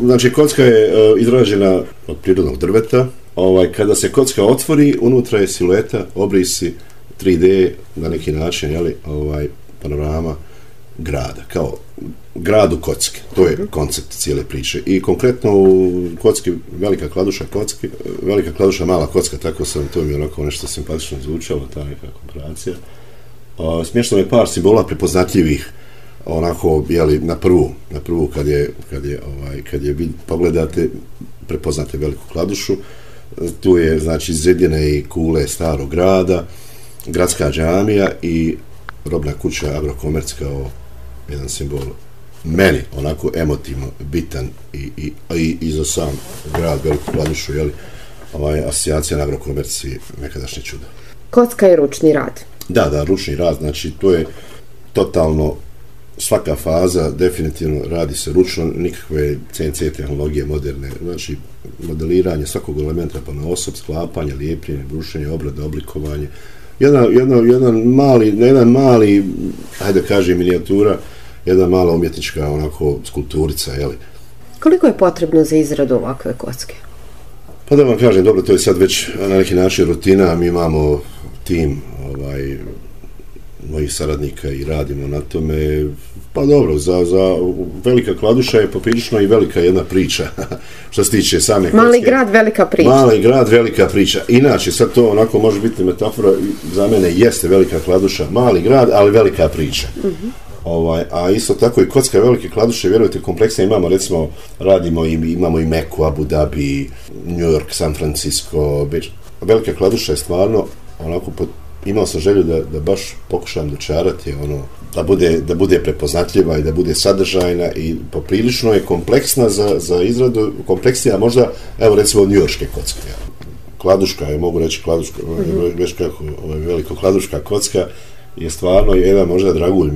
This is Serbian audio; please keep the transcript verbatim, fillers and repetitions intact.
Znači, kocka je uh, izrađena od prirodnog drveta. Ovaj, kada se kocka otvori, unutra je silueta, obrisi, tri D na neki način, jeli, ovaj, panorama grada, kao gradu kocke. To je koncept cijele priče. I konkretno u kocki, velika kladuša kocki, velika kladuša mala kocka, tako sam, to mi je onako nešto simpatično zvučalo, ta neka komparacija. Uh, smješteno je par simbola prepoznatljivih, onako, jeli, na prvu, na prvu kad je, kad je, ovaj, kad je vid, pogledate, prepoznate veliku kladušu. Tu je, znači, zedjene i kule starog grada, gradska džamija i robna kuća Agrokomerc kao jedan simbol meni onako emotivno bitan i, i, i, i za sam grad Veliku Kladušu, jeli, ovaj, asocijacija na Agrokomerc i nekadašnje čudo. Kocka je ručni rad. Da, da, ručni rad, znači to je totalno svaka faza, definitivno radi se ručno, nikakve C N C tehnologije moderne, znači modeliranje svakog elementa pa na osob, sklapanje, lijepljenje, brušenje, obrada, oblikovanje. Jedan, jedan, jedan mali, jedan mali, hajde da kažem, minijatura, jedna mala umjetnička onako skulpturica, jeli. Koliko je potrebno za izradu ovakve kocke? Pa da vam kažem, dobro, to je sad već na neki način rutina, mi imamo tim ovaj, mojih saradnika i radimo na tome. Pa dobro, za, za velika kladuša je poprilično i velika jedna priča, što se tiče same kocke. Mali grad, velika priča. Mali grad, velika priča. Inače, sad to onako može biti metafora, za mene jeste velika kladuša, mali grad, ali velika priča. Uh-huh. Ovaj, a isto tako i kocka velike kladuše, vjerujete, kompleksne imamo, recimo, radimo i imamo i Meku, Abu Dhabi, New York, San Francisco, Beč. Velika kladuša je stvarno, onako, pod, imao sam želju da, da baš pokušam dočarati, ono, da bude, da bude prepoznatljiva i da bude sadržajna i poprilično je kompleksna za, za izradu, kompleksnija možda, evo recimo, njujorške kocke. Kladuška, je, mogu reći kladuška, mm-hmm. već kako, ovaj, veliko kladuška kocka je stvarno jedan možda dragulj